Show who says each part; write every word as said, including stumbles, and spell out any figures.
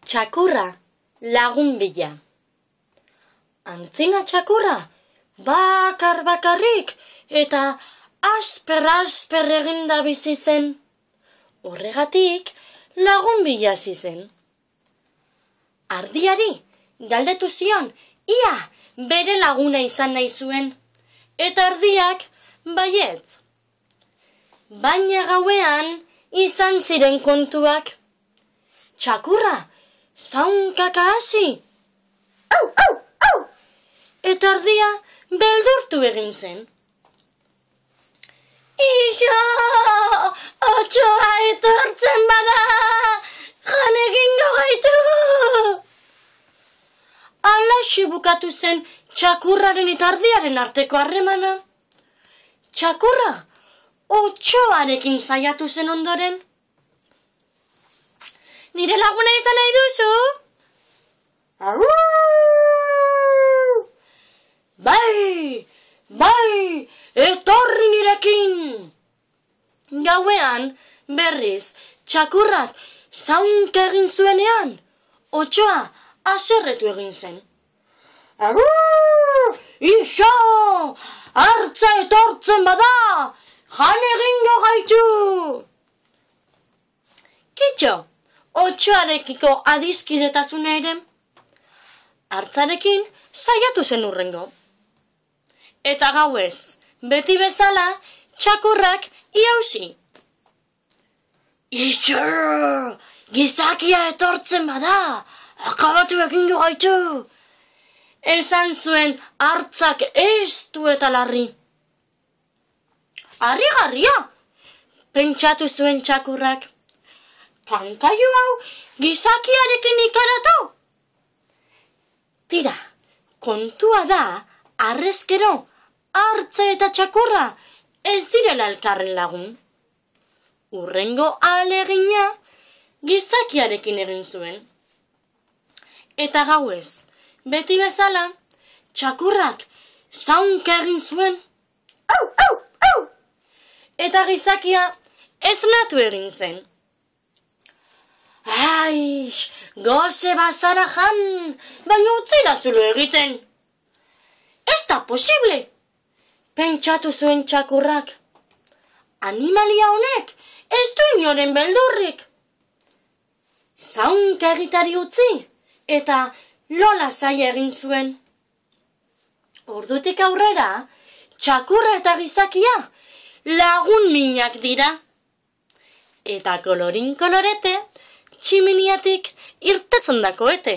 Speaker 1: Txakurra, lagun bila. Antzina txakurra, bakar bakarrik eta asper-asper eginda bizi zen. Horregatik lagun bila hasi zen. Ardiari galdetu zion, ia bere laguna izan nahi zuen, eta ardiak baietz. Baina gauean izan ziren kontuak. Txakurra, zaunkaka hasi. Au, au, au! Eta ardia beldurtu egin zen. Iso, otsoa etortzen bada, jan egingo gaitu. Alaxi bukatu zen txakurraren eta ardiaren arteko harremana. Txakurra, otsoarekin saiatu zen ondoren. Nire laguna izan nahi duzu? Arru! Bai, bai, etorri nirekin! Gauean, berriz, txakurrak zaunka egin zuenean, otsoa haserretu egin zen. Arru! Iso! Hartza etortzen bada! Jan egingo gaitu! Kitxo, otsoarekiko adizkidetasuna ere. Hartzarekin saiatu zen urrengo. Eta gauez, beti bezala, txakurrak iausi. Iso! Gizakia etortzen bada! Akabatu egingo gaitu! Esan zuen hartzak estu eta larri. Harrigarria! Pentsatu zuen txakurrak. Kankaio hau gizakiarekin ikaratu? Tira, kontua da, harrezkero, hartza eta txakurra ez direla elkarren lagun. Urrengo ahalegina gizakiarekin egin zuen. Eta gauez, beti bezala, txakurrak zaunka egin zuen. Au, au, au! Eta gizakia esnatu egin zen. Ai, goze bazara jan, baina utzila zulo egiten. Ez da posible, pentsatu zuen txakurrak. Animalia honek ez du inoren beldurrik. Zaunka egitari utzi eta lola zaila egin zuen. Ordutik aurrera, txakurra eta gizakia lagun minak dira. Eta kolorin kolorete, tximiniatik irtetzen dako ete.